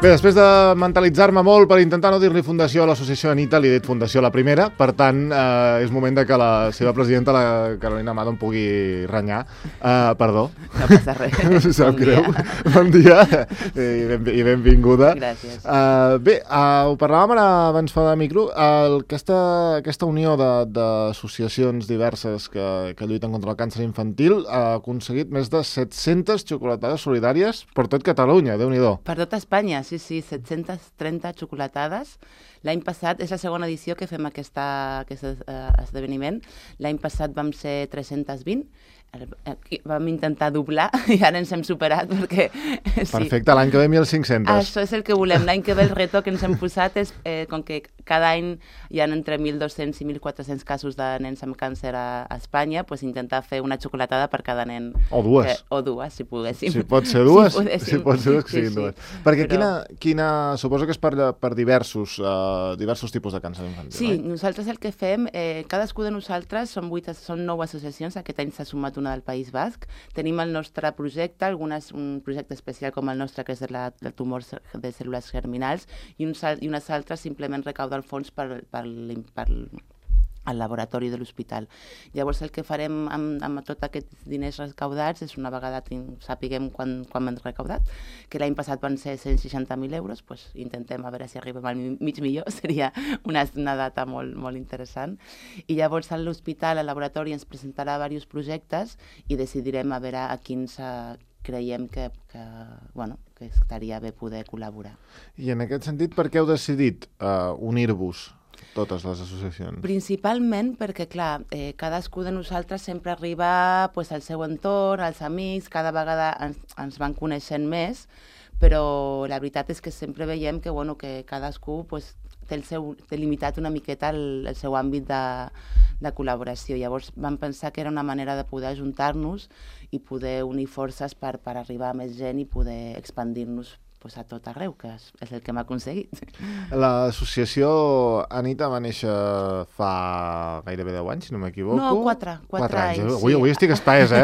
Bé, després de mentalitzar-me molt per intentar no dir-li fundació a l'associació Anita, li he dit fundació a la primera, per tant, és moment de que la seva presidenta, la Carolina Amado, em pugui renyar. Perdó. No passa res. No sap greu. Bon dia i benvinguda. Gràcies. Bé, ho parlàvem ara abans fora de micro, aquesta unió d'associacions diverses que lluiten contra el càncer infantil ha aconseguit més de 700 xocolatades solidàries per tot Catalunya, Déu-n'hi-do. Per tot Espanya, sí, 730 xocolatades. L'any passat, és la segona edició que fem aquest esdeveniment. L'any passat vam ser 320, vam intentar doblar i ara ens hem superat perquè... Perfecte, l'any que ve 1.500. Això és el que volem. L'any que ve el reto que ens hem posat és, com que cada any hi ha entre 1.200 i 1.400 casos de nens amb càncer a Espanya, doncs intentar fer una xocolatada per cada nen. O dues. O dues, si poguéssim. Si pot ser dues, si pot ser dues, que siguin dues. Perquè Però... suposo que és per diversos tipus de càncer infantil. Sí, nosaltres el que fem, cadascú de nosaltres, són 9 associacions, aquest any s'ha sumat una del País Basc, tenim el nostre projecte, un projecte especial com el nostre, que és de tumors de cèl·lules germinals, i unes altres simplement recauden fons al laboratori de l'hospital. Llavors el que farem amb tots aquests diners recaudats és, una vegada sapiguem quan hem recaudat, que l'any passat van ser 160.000 euros, doncs intentem a veure si arribem al mig milió, seria una data molt, molt interessant. I llavors a l'hospital, al laboratori, ens presentarà diversos projectes i decidirem a veure a quins creiem que estaria bé poder col·laborar. I en aquest sentit, per què heu decidit unir-vos totes les associacions? Principalment perquè, clar, cadascú de nosaltres sempre arriba al seu entorn, als amics, cada vegada ens van coneixent més, però la veritat és que sempre veiem que cadascú té limitat una miqueta el seu àmbit de col·laboració. Llavors vam pensar que era una manera de poder ajuntar-nos i poder unir forces per arribar a més gent i poder expandir-nos a tot arreu, que és el que hem aconseguit. L'associació Anita va néixer fa gairebé 10 anys, si no m'equivoco. No, 4 anys. Avui estic espès,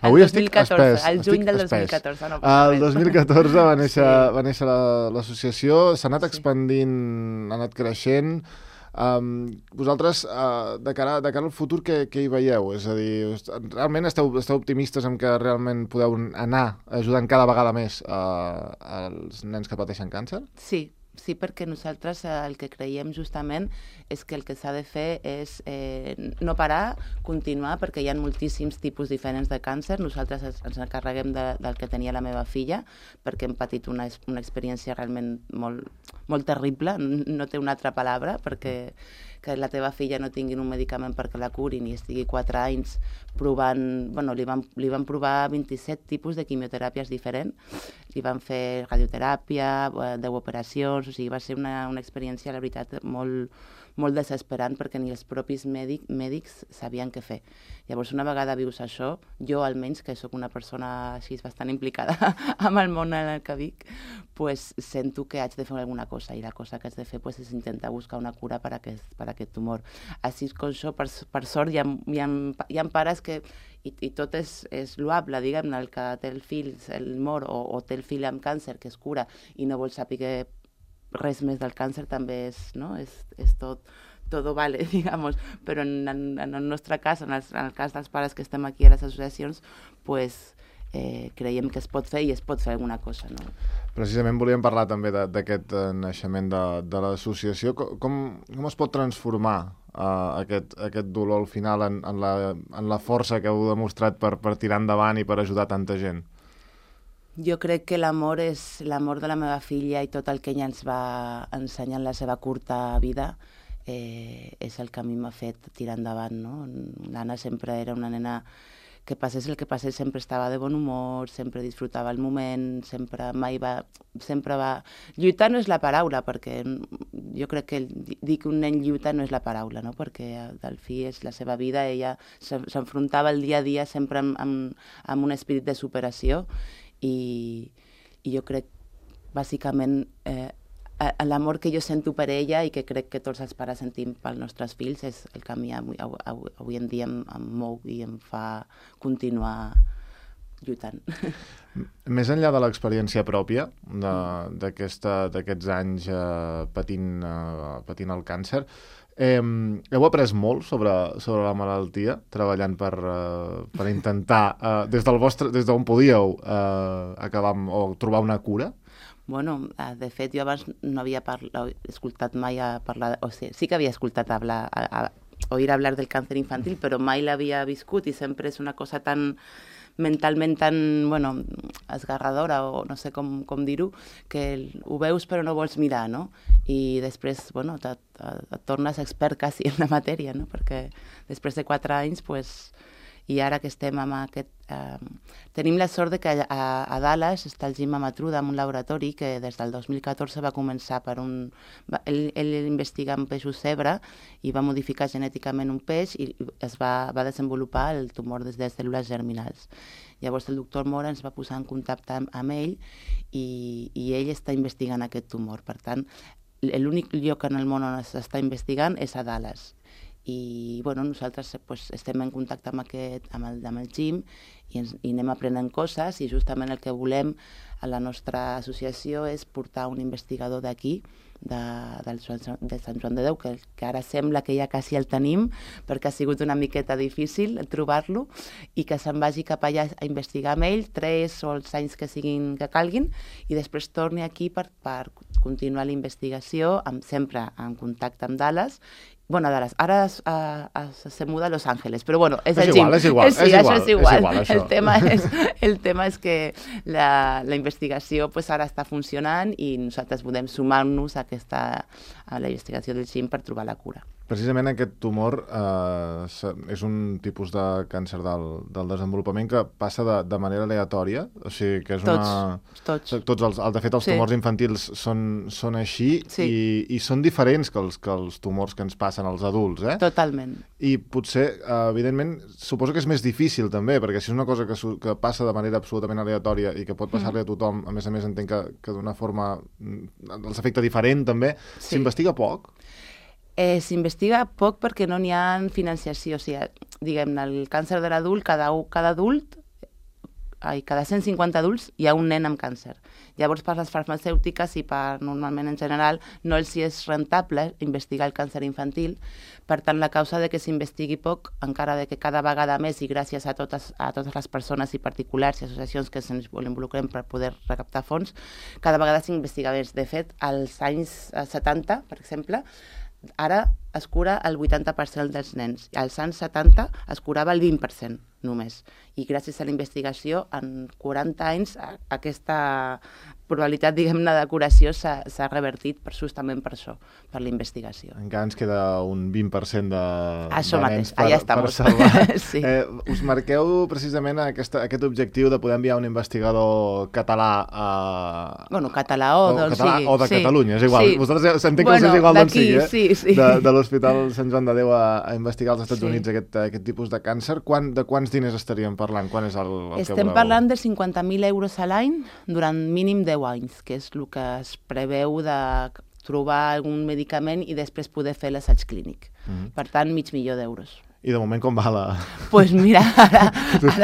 Avui estic espès. El juny del 2014. El 2014 va néixer l'associació, s'ha anat expandint, ha anat creixent. Vosaltres, de cara al futur, què hi veieu? És a dir, realment esteu optimistes en que realment podeu anar ajudant cada vegada més als nens que pateixen càncer? Sí, perquè nosaltres el que creiem justament és que el que s'ha de fer és no parar, continuar, perquè hi ha moltíssims tipus diferents de càncer. Nosaltres ens encarreguem del que tenia la meva filla, perquè hem patit una experiència realment molt terrible, no té una altra paraula, perquè que la teva filla no tingui un medicament perquè la curin i estigui 4 anys provant... li van provar 27 tipus de quimioteràpies diferents, li van fer radioteràpia, 10 operacions, o sigui, va ser una experiència, la veritat, molt desesperant, perquè ni els propis mèdics sabien què fer. Llavors, una vegada vius això, jo almenys, que sóc una persona així bastant implicada amb el món en el que vic, sento que haig de fer alguna cosa, i la cosa que haig de fer és intentar buscar una cura per a aquest tumor. Així com això, per sort, hi ha pares que, i tot és loable, diguem-ne, el que té el fill, el mor, o té el fill amb càncer, que es cura, i no vol saber res més del càncer, també és todo vale, digamos, però en el nostre cas, en el cas dels pares que estem aquí a les associacions, creiem que es pot fer i es pot fer alguna cosa, no? Precisament volíem parlar també d'aquest naixement de l'associació. Com es pot transformar aquest dolor al final en la força que heu demostrat per tirar endavant i per ajudar tanta gent? Jo crec que l'amor és l'amor de la meva filla, i tot el que ella ens va ensenyar en la seva curta vida és el que a mi m'ha fet tirar endavant, no? L'Anna sempre era una nena que passés el que passés, sempre estava de bon humor, sempre disfrutava el moment, sempre va... Lluitar no és la paraula, perquè jo crec que dir que un nen lluita no és la paraula, no? Perquè del fi és la seva vida, ella s'enfrontava el dia a dia sempre amb un espírit de superació, i jo crec, bàsicament, l'amor que jo sento per ella i que crec que tots els pares sentim pels nostres fills és el que a mi avui en dia em mou i em fa continuar lluitant. Més enllà de l'experiència pròpia d'aquests anys patint el càncer, heu après molt sobre la malaltia, treballant per intentar, des d'on podíeu acabar o trobar una cura? Bueno, de fet, jo abans no havia escoltat mai a parlar, o sigui, sí que havia escoltat oír hablar del càncer infantil, però mai l'havia viscut i sempre és una cosa tan mentalment tan, bueno, esgarradora, o no sé com dir-ho, que ho veus però no vols mirar, no? I després, bueno, et tornes expert quasi en la matèria, no? Perquè després de 4 anys, pues, i ara que estem amb aquest... tenim la sort de que a Dallas està el Jim Amatruda, en un laboratori que des del 2014 va començar per un... Ell investiga en peixos zebra i va modificar genèticament un peix i va desenvolupar el tumor des de cèl·lules germinals. Llavors el doctor Mora ens va posar en contacte amb ell i ell està investigant aquest tumor. Per tant, l'únic lloc en el món on s'està investigant és a Dallas. I bueno, nosaltres pues, estem en contacte amb el Jim i anem aprenent coses i justament el que volem a la nostra associació és portar un investigador d'aquí, de Sant Joan de Déu, que ara sembla que ja quasi el tenim perquè ha sigut una miqueta difícil trobar-lo i que se'n vagi cap allà a investigar amb ell 3 o els anys que calguin i després torni aquí per continuar la investigació, sempre en contacte amb Dallas. Bueno, Dallas, ara se muda a Los Ángeles, però bueno, és el Jim. És igual. Això és igual. El tema és que la investigació pues, ara està funcionant i nosaltres podem sumar-nos a la investigació del Jim per trobar la cura. Precisament aquest tumor és un tipus de càncer del desenvolupament que passa de manera aleatòria, o sigui que és Tots. De fet, els tumors infantils són així i són diferents que els tumors que ens passen als adults, eh? Totalment. I potser, evidentment, suposo que és més difícil també, perquè si és una cosa que passa de manera absolutament aleatòria i que pot passar-li a tothom, a més entenc que d'una forma els afecta diferent també, s'investiga poc? S'investiga poc perquè no n'hi ha financiació. O sigui, diguem-ne, el càncer de l'adult, cada 150 adults hi ha un nen amb càncer. Llavors, per les farmacèutiques i normalment en general, no els és rentable investigar el càncer infantil. Per tant, la causa de que s'investigui poc, encara de que cada vegada més, i gràcies a totes les persones i particulars i associacions que se'ns involucrem per poder recaptar fons, cada vegada s'investiga més. De fet, als anys 70, per exemple, ara es cura el 80% dels nens. Als anys 70 es curava el 20% només. I gràcies a la investigació, en 40 anys, aquesta probabilitat, diguem-ne, de curació s'ha revertit justament per això, per la investigació. Encara ens queda un 20% això de mateix, nens per salvar. Sí. Us marqueu precisament aquest objectiu de poder enviar un investigador català català o de Catalunya, és igual. Vosaltres s'entén que us és igual d'on sigui, de l'Hospital Sant Joan de Déu a investigar als Estats Units aquest tipus de càncer. De quants diners estaríem parlant? Quan és el que voleu? Estem parlant de 50.000 euros a l'any durant mínim 10 anys, que és el que es preveu de trobar algun medicament i després poder fer l'assaig clínic. Per tant, $500.000 d'euros. I de moment com va la... Pues mira, ara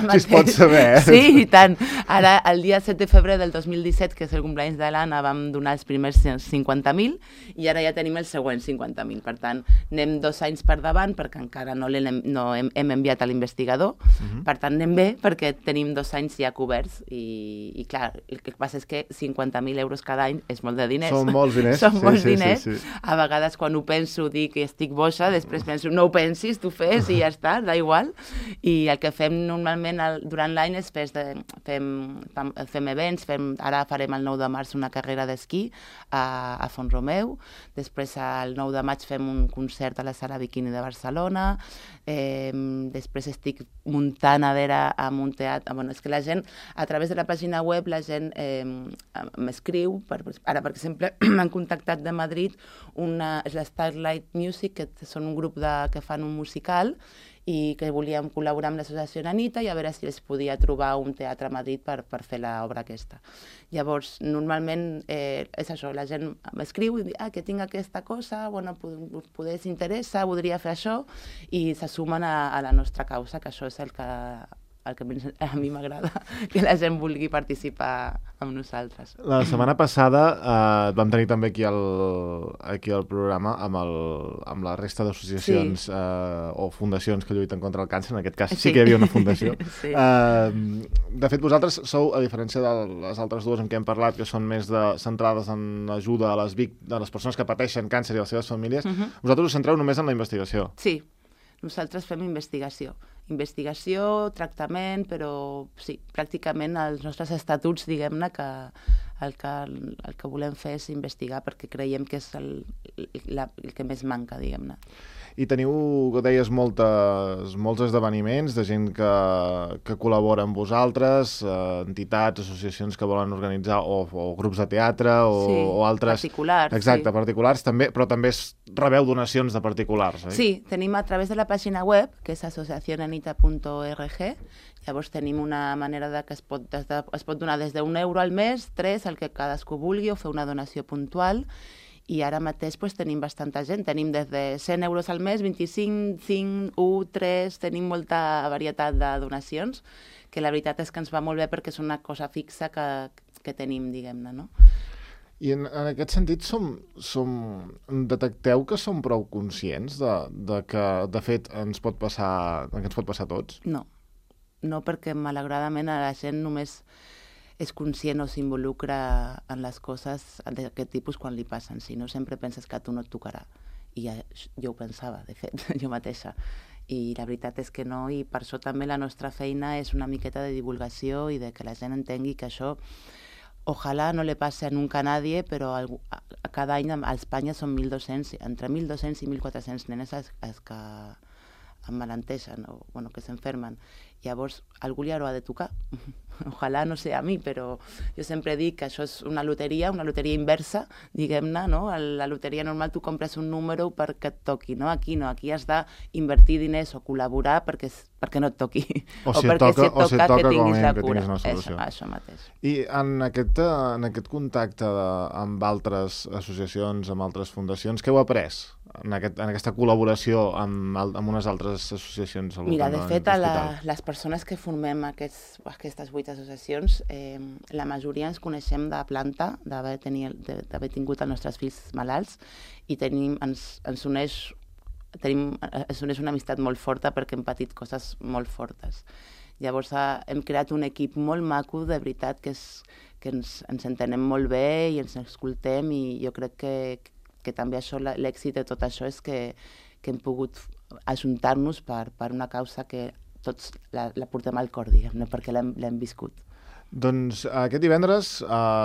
mateix... Si es pot saber, eh? Sí, i tant. Ara, el dia 7 de febrer del 2017, que és el cumpleaños de l'Anna, vam donar els primers 50.000 i ara ja tenim els següents 50.000. Per tant, anem 2 anys per davant perquè encara no hem enviat a l'investigador. Per tant, anem bé perquè tenim 2 anys ja coberts i clar, el que passa és que 50.000 euros cada any és molt de diners. Són molts diners. Són molts diners. A vegades quan ho penso dic que estic boja, després penso no ho pensis, tu fes i ja està, da igual. I el que fem normalment durant l'any és fem events, ara farem el 9 de març una carrera d'esquí a Font-romeu, després el 9 de maig fem un concert a la Sala Bikini de Barcelona, després estic muntant a veure amb un teatre, bueno, és que la gent, a través de la pàgina web, la gent m'escriu, ara per exemple m'han contactat de Madrid, és la Starlight Music, que són un grup que fan un musical, i que volíem col·laborar amb l'associació Nanita i a veure si es podia trobar un teatre a Madrid per fer l'obra aquesta. Llavors, normalment és això, la gent m'escriu i diu que tinc aquesta cosa, bueno, poder s'interessa, voldria fer això, i se sumen a la nostra causa, que això és el que el que a mi m'agrada, que la gent vulgui participar amb nosaltres. La setmana passada vam tenir també aquí al programa amb la resta d'associacions o fundacions que lluiten contra el càncer. En aquest cas sí que hi havia una fundació. Sí. De fet, vosaltres sou, a diferència de les altres dues amb què hem parlat, que són més centrades en ajuda a les persones que pateixen càncer i a les seves famílies, vosaltres us centreu només en la investigació. Sí, nosaltres fem investigació. Investigació, tractament, però sí, pràcticament els nostres estatuts, diguem-ne, que el que volem fer és investigar perquè creiem que és el que més manca, diguem-ne. I teniu, deies, molts esdeveniments de gent que col·labora amb vosaltres, entitats, associacions que volen organitzar o grups de teatre o altres... Particulars. Exacte, particulars també, però també rebeu donacions de particulars, oi? Sí, tenim a través de la pàgina web, que és asociacionanita.org, llavors tenim una manera que es pot donar des d'1 euro al mes, 3, el que cadascú vulgui, o fer una donació puntual. I ara mateix tenim bastanta gent, tenim des de 100 euros al mes, 25, 5, 1, 3, tenim molta varietat de donacions, que la veritat és que ens va molt bé perquè és una cosa fixa que tenim, diguem-ne, no? I en aquest sentit detecteu que som prou conscients de que, de fet, ens pot passar a tots? No, perquè malauradament a la gent només és conscient o s'involucra en les coses d'aquest tipus quan li passen. Si no, sempre penses que a tu no et tocarà. I jo ho pensava, de fet, jo mateixa. I la veritat és que no, i per això també la nostra feina és una miqueta de divulgació i de que la gent entengui que això ojalà no le passe nunca a nadie, però cada any a Espanya són 1.200, entre 1.200 i 1.400 nenes que emmalenteixen o que s'enfermen. Llavors, algú li haurà de tocar. Ojalà no sé a mi, però jo sempre dic que això és una loteria inversa, diguem-ne, no? A la loteria normal tu compres un número perquè et toqui, no? Aquí no, aquí has d'invertir diners o col·laborar perquè no et toqui. O si et toca que tinguis la cura. Tinguis una solució. Això mateix. I en aquest contacte amb altres associacions, amb altres fundacions, què heu après en aquesta col·laboració amb unes altres associacions? Mira, de fet, les persones que formem aquestes 8 associacions, la majoria ens coneixem de planta, d'haver tingut els nostres fills malalts, i ens uneix una amistat molt forta perquè hem patit coses molt fortes. Llavors hem creat un equip molt maco, de veritat, que ens entenem molt bé i ens escoltem, i jo crec que també l'èxit de tot això és que hem pogut ajuntar-nos per una causa que tots la portem al cor, diguem-ne, perquè l'hem viscut. Doncs aquest divendres,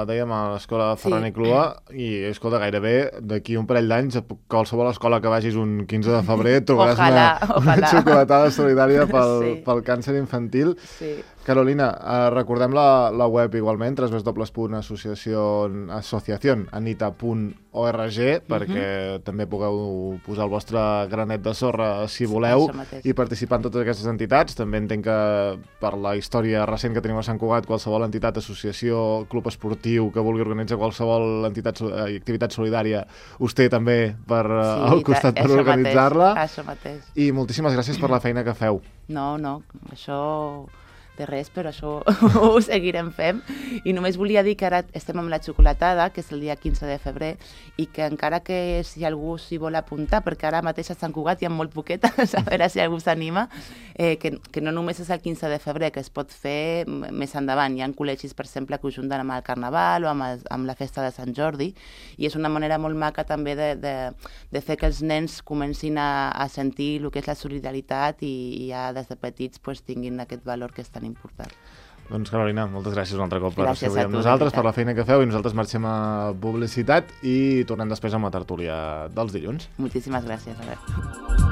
dèiem a l'escola Ferran i Clua, i escolta, gairebé d'aquí un parell d'anys, a qualsevol escola que vagis un 15 de febrer trobaràs una xocolatada solidària pel càncer infantil. Sí. Carolina, recordem la web igualment, www.asociacionanita.org, perquè també pugueu posar el vostre granet de sorra si voleu i participar en totes aquestes entitats. També entenc que per la història recent que tenim a Sant Cugat, qualsevol entitat, associació, club esportiu que vulgui organitzar qualsevol activitat solidària us té també al costat per organitzar-la. Això mateix. I moltíssimes gràcies per la feina que feu. No, això de res, però això ho seguirem fent. I només volia dir que ara estem amb la xocolatada, que és el dia 15 de febrer, i que encara que si algú s'hi vol apuntar, perquè ara mateix a Sant Cugat hi ha molt poquetes, a veure si algú s'anima, que no només és el 15 de febrer, que es pot fer més endavant. Hi ha col·legis, per exemple, que ho junten amb el Carnaval o amb la festa de Sant Jordi, i és una manera molt maca també de fer que els nens comencin a sentir el que és la solidaritat i ja des de petits tinguin aquest valor que és tan important. Doncs Carolina, moltes gràcies un altre cop per ser avui amb tu, nosaltres, per la feina que feu, i nosaltres marxem a publicitat i tornem després amb la tertúlia dels dilluns. Moltíssimes gràcies, Albert.